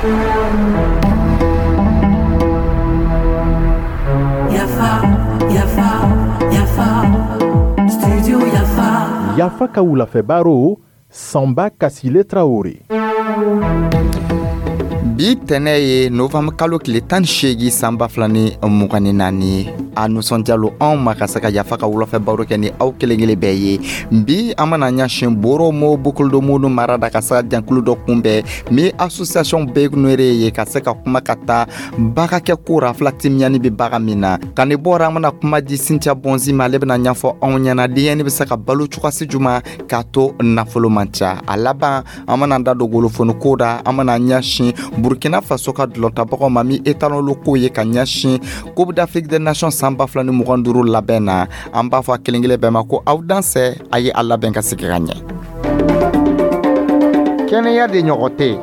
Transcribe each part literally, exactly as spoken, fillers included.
Yafa, Yafa, Yafa, Studio Yafa. Yafa ka wulafɛ baro, Sanba Kasile Traore. Bi tɛnɛ ye novembre kalo tile tan ni seegin san ba fila ni mugan ni naani. A nisɔndiya lo anw ma ka se ka Yafa ka wulafɛ baro kɛ ni aw kelen kelen bɛɛ ye. Bi an bɛna ɲɛsin Boromo Boucle-du-Mouhoud mara da ka se ka jɛnkulu dɔ kunbɛn min association Begnere ye, ka se ka kuma ka taa bagakɛ ko ra fila timiyani bɛ baga min na. Ka ni bɔra, an bɛna kuma di Cynthia Bonzi ma. Ale bɛna ɲɛfɔ anw ɲɛna denyɛni bɛ se ka balo cogoyasi juma k'a to nafolo man ca. A laban, an bɛna da don golofoni ko da. An bɛna ɲɛsin Burkina Faso ka dulɔtabagaw ma min étalon ko ye ka ɲɛsin Coupe d'Afrique des Nations san ba fila ni mugan duuru labɛn na. An b'a fɔ a kelen kelen bɛɛ ma ko aw dansɛ, a ye a labɛn ka sigi ka ɲɛ. Kɛnɛya de ɲɔgɔn tɛ.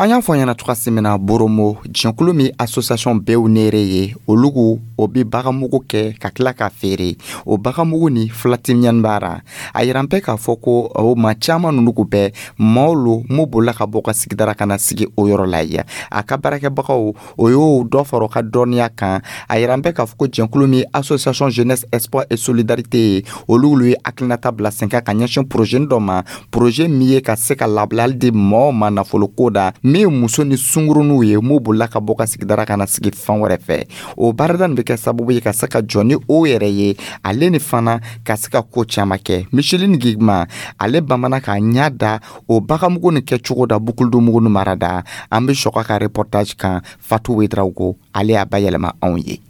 An y'a fɔ ɲɛna cogoya min na, Boromo jɛnkulu min association Bew Nere ye, olugu o bi bagamugu kɛ ka tila k'a feere. O bagamugu ni filatimiɲani b'a ra. A yiran bɛɛ k'a fɔ ko o ma caaman nunu bɛɛ maaw lo m'u bolila ka bɔ ka sigidara ka na sigi o yɔrɔ la ye. A ka baarakɛbagaw, o y'o dɔ fara o ka dɔnniya kan. A yiran bɛɛ k'a fɔ ko jɛnkulu min association Jeunesse Espoir et Solidarité ye, olu ye hakilinata bila sen kan ka ɲɛsin projet dɔ ma, projet min ye ka se ka labilali di mɔɔw ma nafoloko da, min ye muso ni sunkuruninw ye m'u bolila ka bɔ ka sigidara ka na sigi fan wɛrɛ fɛ. O baarada nin bɛ kɛ sababu ye ka se ka jɔ ni o yɛrɛ ye, ale ni fana ka se ka ko caman kɛ. Micheline Gigma, ale bamana k'a ɲa da o bagamugu nin kɛcogo da Boucle-du-Mouhoud mara da. An bɛ sɔgɔ ka reportage kan. Fatou Ouedraogo, ale y'a bayɛlɛma anw ye.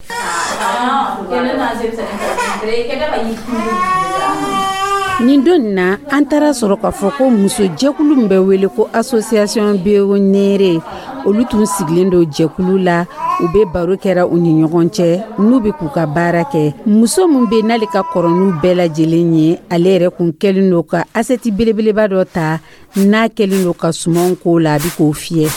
Nin don na, an taara sɔrɔ k'a fɔ ko muso jɛkulu min bɛ wele ko association Beonere, olu tun sigilen don jɛkulu la. U bɛ baro kɛra u ni ɲɔgɔn cɛ n'u bɛ k'u ka baara kɛ. Muso min bɛ n'ale ka kɔrɔ n'u bɛɛ lajɛlen ye, ale yɛrɛ kun kɛlen don ka assiette belebeleba dɔ ta n'a kɛlen don ka sumanw k'o la, a bɛ k'o fiyɛ.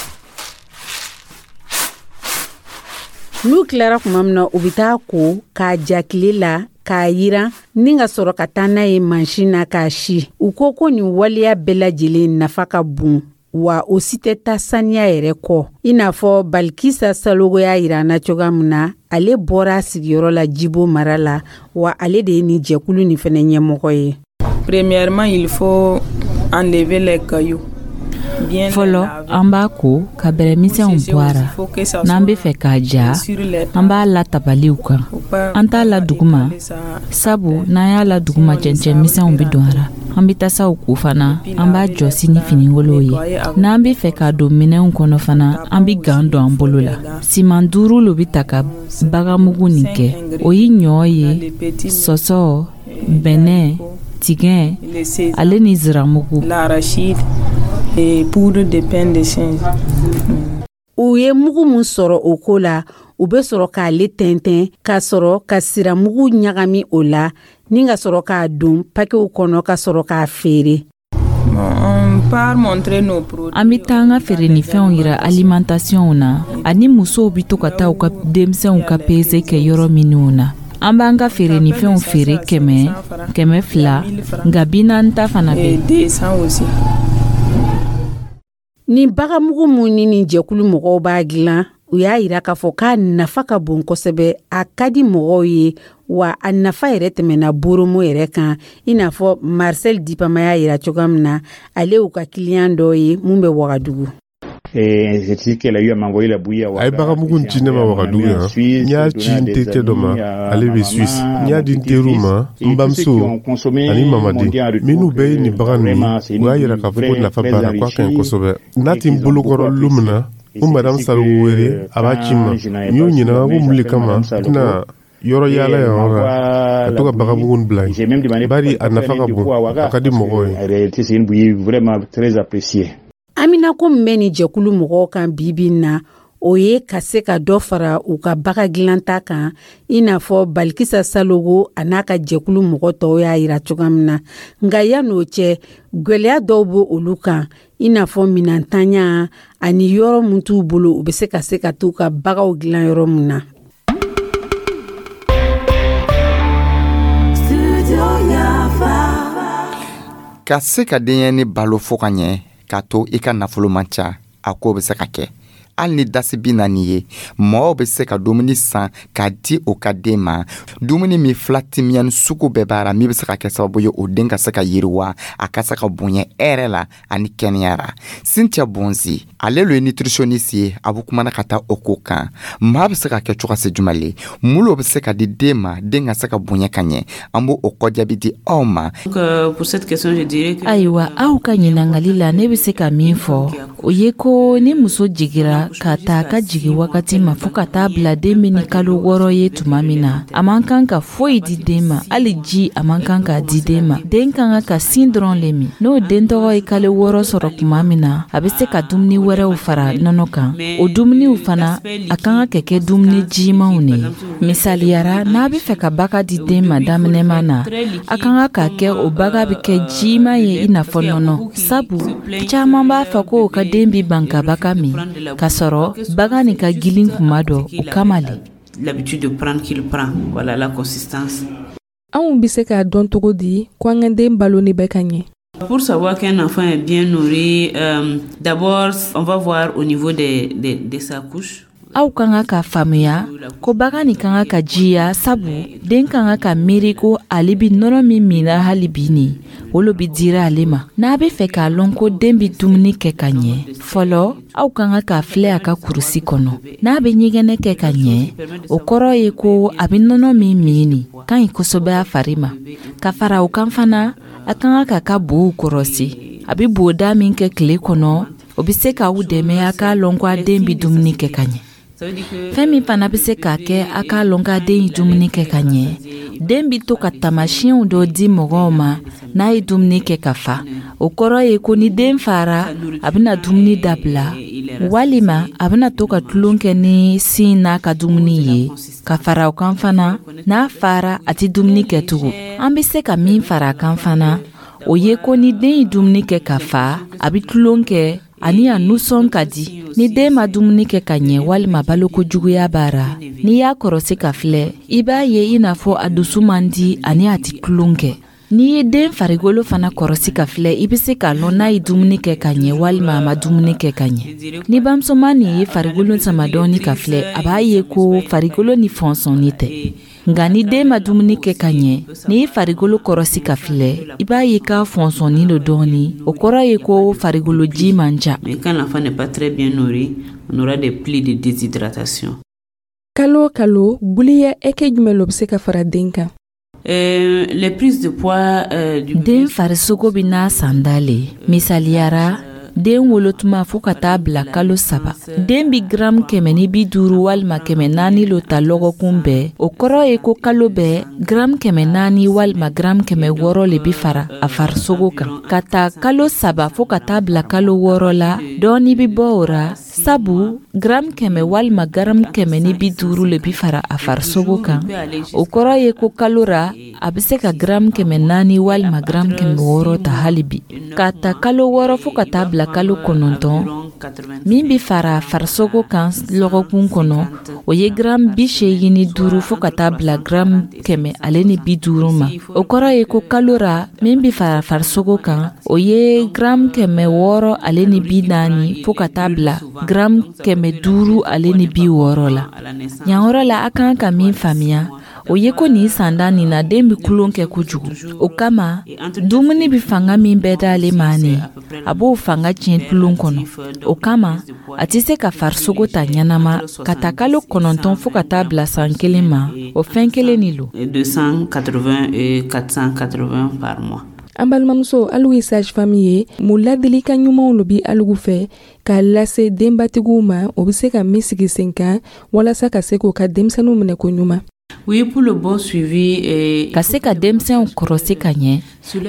N'u tilara tuma min na, u bɛ taa ko k'a ja tile la, k'a yiran ni ka sɔrɔ ka taa n'a ye mansin na k'a si. U ko ko nin waleya bɛɛ lajɛlen nafa ka bon, wa o si tɛ taa saniya yɛrɛ kɔ. I n'a fɔ Balikisa Salogo y'a yira an na cogoya min na, ale bɔra a sigiyɔrɔ la Jibo mara la, wa ale de ye nin jɛkulu nin fɛnɛ ɲɛmɔgɔ ye. Premièrement, il faut enlever les cailloux. Fɔlɔ, an b'a ko ka bɛrɛmisɛnw bɔ a ra. N'an be fɛ k'a ja, an b'a la tabaliw kan. An t'a la duguma, sabu n'an y'a la duguma, cɛncɛnmisɛnw be don a ra. An be tasaw ko fana, an b'a jɔsi ni finingolow ye. N'an be fɛ k'a don minɛnw kɔnɔ fana, an be gan don an bolo la. Siman duuru lo be ta ka bagamugu nin kɛ. O ye ɲɔ ye, sɔsɔ, bɛnɛ, tigɛ, ale ni ziramugu. Et poudre de pain de singe. U ye mugu min sɔrɔ o ko la, u bɛ sɔrɔ k'ale tɛntɛn ka sɔrɔ ka siramugu ɲagami o la ni ka sɔrɔ k'a don pakew kɔnɔ ka sɔrɔ k'a feere. An bɛ taa an ka feerenifɛnw yira alimentationw na, ani musow bɛ to ka taa u ka denmisɛnw ka pesée kɛ yɔrɔ minnu na. An b'an ka feerenifɛnw feere kɛmɛ, kɛmɛ fila, nka bi naani ta fana bɛ. Nin bagamugu mun ni nin jɛkulu mɔgɔw b'a dilan, u y'a yira k'a fɔ k'a nafa ka bon kosɛbɛ, a ka di mɔgɔw ye, wa a nafa yɛrɛ tɛmɛna Boromo yɛrɛ kan. I n'a fɔ Marcel Dipama y'a yira cogoya min na, ale y'u ka kiliyan dɔ ye mun bɛ Wagadugu. A ye bagamugu ci ne ma Wagadugu yan. N y'a ci n terikɛ dɔ ma, ale bɛ Suisse. N y'a di n teriw ma, n bamuso ani mamaden minnu bɛɛ ye nin bagan ninnu. U y'a yira k'a fɔ ko nafa b'a la, k'a ka ɲi kosɛbɛ. N'a tɛ n bolokɔrɔ lon min na, n madame Salogo wele, a b'a ci n ma. N y'o ɲininka ko mun le kama n tɛna yɔrɔ yaala yan yɔrɔ la ka to ka bagamugu bila yen, bari a nafa ka bon, a ka di mɔgɔw ye. Aminako min bɛ nin jɛkulu mɔgɔw kan bi bi in na, o ye ka se ka dɔ fara u ka baga dilanta kan, i n'a fɔ Balikisa Salogo a n'a ka jɛkulu mɔgɔ tɔw y'a yira cogoya min na. Nka yan'o cɛ, gwɛlɛya dɔw bɛ olu kan, i n'a fɔ minɛntanya ani yɔrɔ min t'u bolo u bɛ se ka se ka t'u ka bagaw dilan yɔrɔ min na. Ka se ka denyɛni balo fo ka ɲɛ, K'a to i ka nafolo man ca, a ko bɛ se ka kɛ. Hali ni dasi bi naani ye, mɔgɔw bɛ se ka dumuni san k'a di o ka den ma, dumuni min filatimiyani sugu bɛɛ b'a ra, min bɛ se ka kɛ sababu ye o den ka se ka yiriwa, a ka se ka bonya hɛrɛ la ani kɛnɛya ra. Cynthia Bonzi, ale lo ye nutritionniste ye, a bɛ kumana ka taa o ko kan. Maa bɛ se ka kɛ cogo se jumɛn le, mun lo bɛ se ka di den ma, den ka se ka bonya ka ɲɛ? An b'o o kɔjaabi di aw ma. Ayiwa, aw ka ɲiningali la, ne bɛ se ka min fɔ, o ye ko ni muso jigira ka taa ka jigi wagati ma fɔɔ ka taa bila den bɛ ni kalo wɔɔrɔ ye tuma min na, a man kan ka foyi di den ma, hali ji a man kan k'a di den ma. Den ka kan ka sin dɔrɔn le min. N'o den tɔgɔ ye kalo wɔɔrɔ sɔrɔ tuma min na, a bɛ se ka dumuni wɛrɛw fara nɔnɔ kan. O dumuniw fana, a kan ka kɛ dumuni jimanw de ye. Misaliyara, n'a bɛ fɛ ka baga di den ma daminɛma na, a kan ka kɛ o baga bɛ kɛ jiman ye i n'a fɔ nɔnɔ, sabu caman b'a fɔ ko o ka den bi ban ka baga min, k'a sɔrɔ baga nin ka gilin kuma dɔ, o kama le. L'habitude de prendre qu'il prend, voilà la consistance. Anw bɛ se k'a dɔn cogo di ko an ka den balo ni bɛ ka ɲɛ? Pour savoir qu'un enfant est bien nourri, euh, d'abord, on va voir au niveau de, de, de sa couche. Aw ka kan ka faamuya ko bagan nin ka kan ka jiya, sabu den ka kan ka miiri ko ale bi nɔnɔ min minna hali bi nin, o lo bi dira ale ma. N'a bɛ fɛ k'a lɔn ko den bi dumuni kɛ ka ɲɛ, fɔlɔ aw ka kan k'a filɛ a ka kurusi kɔnɔ. N'a bɛ ɲɛgɛnɛ kɛ ka ɲɛ, o kɔrɔ ye ko a bɛ nɔnɔ min min nin ka ɲi kosɛbɛ a fari ma. Ka fara o kan fana, a ka kan k'a ka bow kɔrɔsi. A bɛ boda min kɛ tile kɔnɔ, o bɛ se k'aw dɛmɛ a k'a lɔn ko a den bɛ dumuni kɛ ka ɲɛ. Fɛn min fana bɛ se k'a kɛ a k'a lɔn k'a den ye dumuni kɛ ka ɲɛ, den bɛ to ka tamasiyɛnw dɔ di mɔgɔw ma n'a ye dumuni kɛ ka fa. O kɔrɔ ye ko ni den fara, a bɛna dumuni dabila, walima a bɛna to ka tulon kɛ ni sin n'a ka dumuni ye. Ka fara o kan fana, n'a fara, a tɛ dumuni kɛ tugun. An bɛ se ka min fara a kan fana, o ye ko ni den ye dumuni kɛ ka fa, a bɛ tulon kɛ ani a nusɔn ka di. Ni den ma dumuni kɛ ka ɲɛ walima baloko juguya b'a ra, n'i y'a kɔrɔsi ka filɛ, i b'a ye i n'a fɔ a dusu man di ani a tɛ tulon kɛ. N'i ye den farikolo fana kɔrɔsi ka filɛ, i bɛ se k'a lɔn n'a ye dumuni kɛ ka ɲɛ walima a ma dumuni kɛ ka ɲɛ. Ni bamusoman nin ye farikolo sama dɔɔni ka filɛ, a b'a ye ko farikolo ni fɔnsɔnni tɛ. Nka ni den ma dumuni kɛ ka ɲɛ, n'i ye farikolo kɔrɔsi ka filɛ, i b'a ye k'a fɔnsɔnni don dɔɔni. O kɔrɔ ye ko farikolo ji man ca. Mais quand l'enfant n'est pas très bien nourri, on aura des plis de déshydratation. Kalo o kalo, guliya ɛkɛ jumɛn lo bɛ se ka fara den kan? Euh, les prises de poids euh, du Den farisogo bɛ n'a sanda le. Misaliyara, den wolotuma fɔɔ ka taa bila kalo saba, den bi garamu kɛmɛ ni bi duuru walima kɛmɛ naani lo ta lɔgɔkun bɛɛ. O kɔrɔ ye ko kalo bɛɛ, garamu kɛmɛ naani walima garamu kɛmɛ wɔɔrɔ le bi fara a farisogo kan. Ka ta kalo saba fɔɔ ka taa bila kalo wɔɔrɔ la, dɔɔni bi bɔ o ra, sabu garamu kɛmɛ walima garamu kɛmɛ ni bi duuru le bi fara a farisogo kan. O kɔrɔ ye ko kalo ra, a bɛ se ka garamu kɛmɛ naani walima garamu kɛmɛ wɔɔrɔ ta hali bi. Ka ta kalo wɔɔrɔ fɔɔ ka taa bila kalo kɔnɔntɔn, min bi fara a farisogo kan lɔgɔkun kɔnɔ, o ye garamu bi seegin ni duuru fɔɔ ka taa bila garamu kɛmɛ ale ni bi duuru ma. O kɔrɔ ye ko kalo ra, min bi fara farisogo kan, o ye garamu kɛmɛ wɔɔrɔ ale ni bi naani fɔɔ ka taa bila garamu kɛmɛ duuru ale ni bi wɔɔrɔ la. Yan yɔrɔ la, a kan ka min faamuya, o ye ko nin sanda nin na, den bɛ tulon kɛ kojugu. O kama, dumuni bɛ fanga min bɛɛ d'ale ma nin, a b'o fanga tiɲɛ tulon kɔnɔ. O kama, a tɛ se ka farisogo ta ɲɛnama. Ka ta kalo kɔnɔntɔn fɔɔ ka taa bila san kelen ma, o fɛn kelen de lo. deux cent quatre-vingts et quatre cent quatre-vingts par mois. An balimamuso, alu ye sage femme ye, mun ladilikan ɲumanw lo bi alugu fɛ k'a lase denbatigiw ma, o be se ka min sigi sen kan walasa ka se k'o ka denmisɛnninw minɛ ko ɲuman? Oui, pour le bon suivi et Ka se ka denmisɛnw kɔrɔsi ka ɲɛ,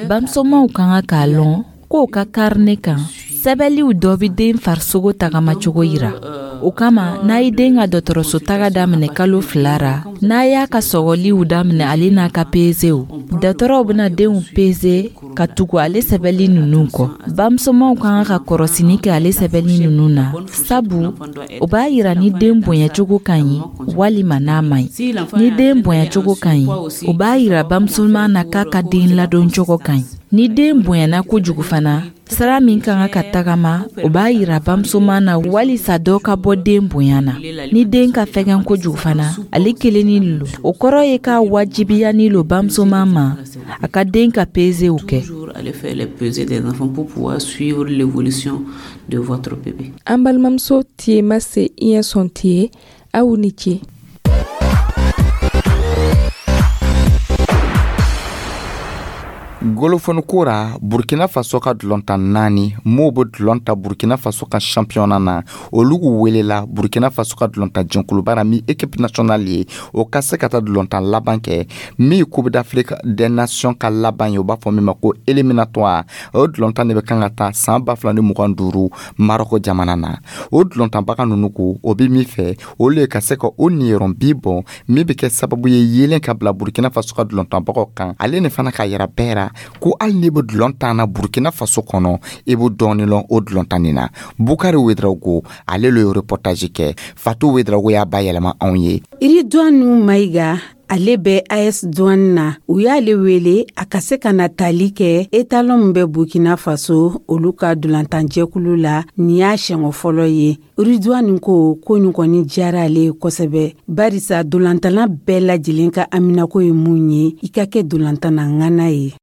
bamusomaw ka kan k'a lɔn k'o ka carnet kan, sɛbɛliw dɔ bɛ den farisogo tagamacogo yira. O kama, n'a ye den ka dɔgɔtɔrɔso taga daminɛ kalo fila ra, n'a y'a ka sɔgɔliw daminɛ ale n'a ka pezew, dɔgɔtɔrɔw bɛna denw peze ka tugu ale sɛbɛli ninnu kɔ. Bamusomaw ka kan ka kɔrɔsini kɛ ale sɛbɛli ninnu na, sabu o b'a yira ni den bonyacogo ka ɲi walima n'a man ɲi. Ni den bonyacogo ka ɲi, o b'a yira bamusoman na k'a ka den ladoncogo ka ɲi. Ni den bonyana kojugu fana, Sira min ka kan ka tagama, o b'a yira bamusoman na walisa dɔ ka bɔ den bonya na. Ni den ka fɛgɛn kojugu fana, ale kelennin lo. O kɔrɔ ye k'a wajibiyanin lo bamusoman ma a ka den ka pezew kɛ. De votre bébé. An balimamuso Tiema se iɲɛ sɔn tiye, aw ni ce. Golofɔni ra, Burkina Faso ka dulɔntan naani m'o bɛ dulɔn ta Burkina Faso ka championnat na, olu welela Burkina Faso ka dulɔntan jɛnkuluba ra min équipe nationale ye, o ka se ka taa dulɔntan laban kɛ min ye Coupe d'Afrique des Nations ka laban ye, u b'a fɔ min ma ko éliminatoire. O dulɔntan de bɛ kan ka taa san ba fila ni mugan duuru Marɔkɔ jamana na. O dulɔntanbaga ninnu ko o bɛ min fɛ, olu ye ka se ka o niyɔrɔ bi bɔ min bɛ kɛ sababu ye yeelen ka bila Burkina Faso ka dulɔntanbagaw kan, ale ni fana k'a yira bɛɛ ra ko hali n'i bɛ dulɔn tan na Burkina Faso kɔnɔ, i bɛ dɔɔni lɔn o dulɔn tan nin na. Bukari Wedrago ale le ye reportage kɛ, Fatou Wedrago y'a bayɛlɛma anw ye. Iridwanu Mayiga, ale bɛ A S Douane na. U y'ale wele a ka se ka na tali kɛ etalon min bɛ Burkina Faso olu ka dolantanjɛkulu la. Nin y'a siɲɛ fɔlɔ ye. Ridwani ko ko nin kɔni diyara ale ye kosɛbɛ, barisa dolantanna bɛɛ lajɛlen ka haminako ye mun ye, i ka kɛ dolantanna ŋana ye.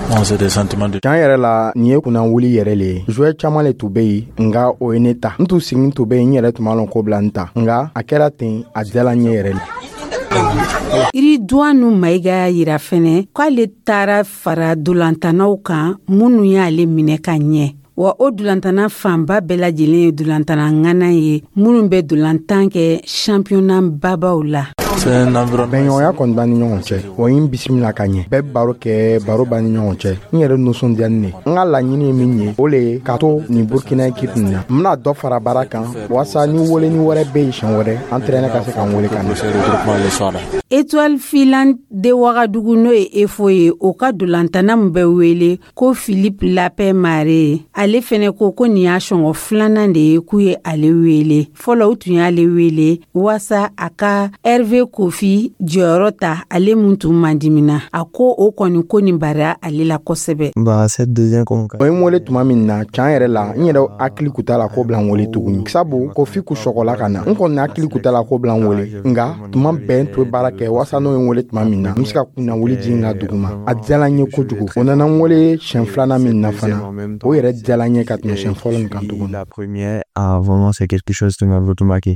Tiɲɛ yɛrɛ la, nin ye kunnawuli yɛrɛ le ye. Joueur caman le tun bɛ yen, nka o ye ne ta. N tun sigin tun bɛ yen, n yɛrɛ tun b'a lɔn ko bila n ta, nka a kɛra ten, a diyala n ye yɛrɛ le. Iridwanu Mayiga y'a yira fɛnɛ k'ale taara fara dolantannaw kan minnu y'ale minɛ ka ɲɛ. Wa o dolantanna fanba bɛɛ lajɛlen ye dolantanna ŋana ye minnu bɛ dolantan kɛ championnat babaw la. Bɛnɲɔgɔnya kɔni b'an ni ɲɔgɔn cɛ, o ye n bisimila ka ɲɛ. Bɛɛ bɛ baro kɛ, baro b'an ni ɲɔgɔn cɛ. N yɛrɛ nisɔndiyani ne. N ka laɲini ye min ye, o le ye ka to nin Burkina équipe nin na. N bɛna dɔ fara baara kan walasa ni weleni wɛrɛ bɛ yen siɲɛ wɛrɛ, entraîneur ka se ka n wele ka na. Étoile filante de Wagadugu, n'o ye E F O ye, o ka dolantanna min bɛ wele ko Philippe Lapin Mare, ale fɛnɛ ko ko nin y'a sɔngɔ filanan de ye k'u ye ale wele. Fɔlɔ, u tun y'ale wele waasa a ka Hervé Kofi jɔyɔrɔ ta, ale mun tun mandimina. A ko o kɔni ko nin bara ale la kosɛbɛ. O ye n wele tuma min na, tiɲɛ yɛrɛ la, n yɛrɛ hakili kun t'a la ko bila n wele tuguni, sabu Kofi kun sɔgɔla ka na. N kɔni hakili kun t'a la ko bila n wele, nka tuma bɛɛ n tun bɛ baara kɛ walasa n'o ye n wele tuma min na, n bɛ se ka kunnawuli di n ka dugu ma. A diyala n ye kojugu. O nana n wele siɲɛ filanan min na fana, o yɛrɛ diyala n ye ka tɛmɛ siɲɛ fɔlɔ nin kan tuguni.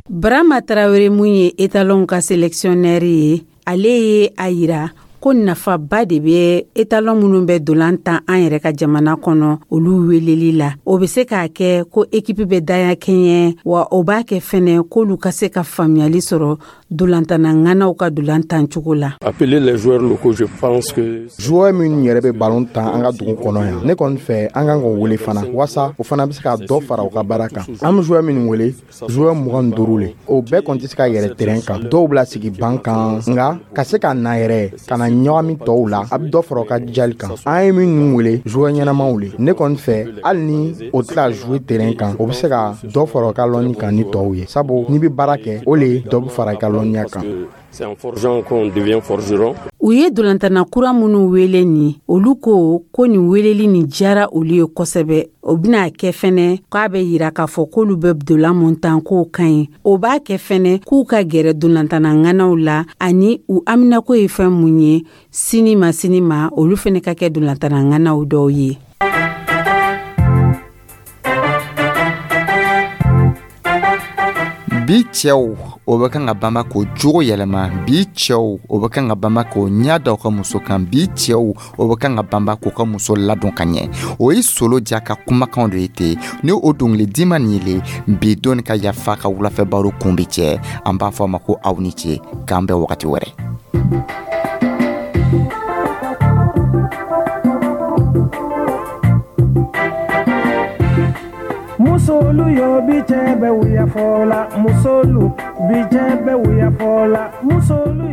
Barama Tarawele, mun ye etalon ka sélectionneur ye, ale ye a yira ko nafaba de bɛ etalon minnu bɛ dolan tan an yɛrɛ ka jamana kɔnɔ olu weleli la. O bɛ se k'a kɛ ko ekipi bɛ daya kɛɲɛ, wa o b'a kɛ fɛnɛ k'olu ka se ka faamuyali sɔrɔ dolantanna ŋanaw ka dolan tan cogo la. Joueur minnu yɛrɛ bɛ balon tan an ka dugu kɔnɔ yan, ne kɔni fɛ an kan k'o wele fana, walasa o fana bɛ se ka dɔ fara u ka baara kan. An bɛ joueur minnu wele, joueur mugan ni duuru le, o bɛɛ kɔni tɛ se ka yɛlɛ terrain kan, dɔw bila sigi ban kan, nka ka se ka na yɛrɛ ka na ɲagami tɔw la, a bɛ dɔ fara u ka jijali kan. An ye minnu wele, joueur ɲɛnamaw le. Ne kɔni fɛ, hali ni o tɛ ka jouer terrain kan, o bɛ se ka dɔ fara u ka lɔnni kan ni tɔw ye, sabu n'i bɛ baara kɛ, o le dɔ bɛ fara i ka lɔnniya kan. C'est en forgeant qu'on devient forgeron. U ye dolantanna kura minnu wele nin, olu ko ko nin weleli nin diyara olu ye kosɛbɛ. O bɛna kɛ fɛnɛ k'a bɛ yira k'a fɔ k'olu bɛ dolan mun tan k'o ka ɲi. O b'a kɛ fɛnɛ k'u ka gɛrɛ dolantanna ŋanaw la, ani u haminako ye fɛn mun ye sini ma sini ma, olu fɛnɛ ka kɛ dolantanna ŋanaw dɔw ye. Bi cɛw o bɛ kan ka banba k'o jogo yɛlɛma, bi cɛw o bɛ kan ka banba k'o ɲɛ da u ka muso kan, bi cɛw o bɛ kan ka banba k'u ka muso ladon ka ɲɛ. O ye Solo ja ka kumakanw de ye ten. Ni o dɔnkili dima nin ye bi don ka yafa ka wulafɛ baro kun bɛ cɛ, an b'a fɔ a ma ko aw ni ce, k'an bɛn wagati wɛrɛ. Musolu yo bi cɛ bɛ wuya fɔ la, musolu bi cɛ bɛ wuya fɔ la, musolu.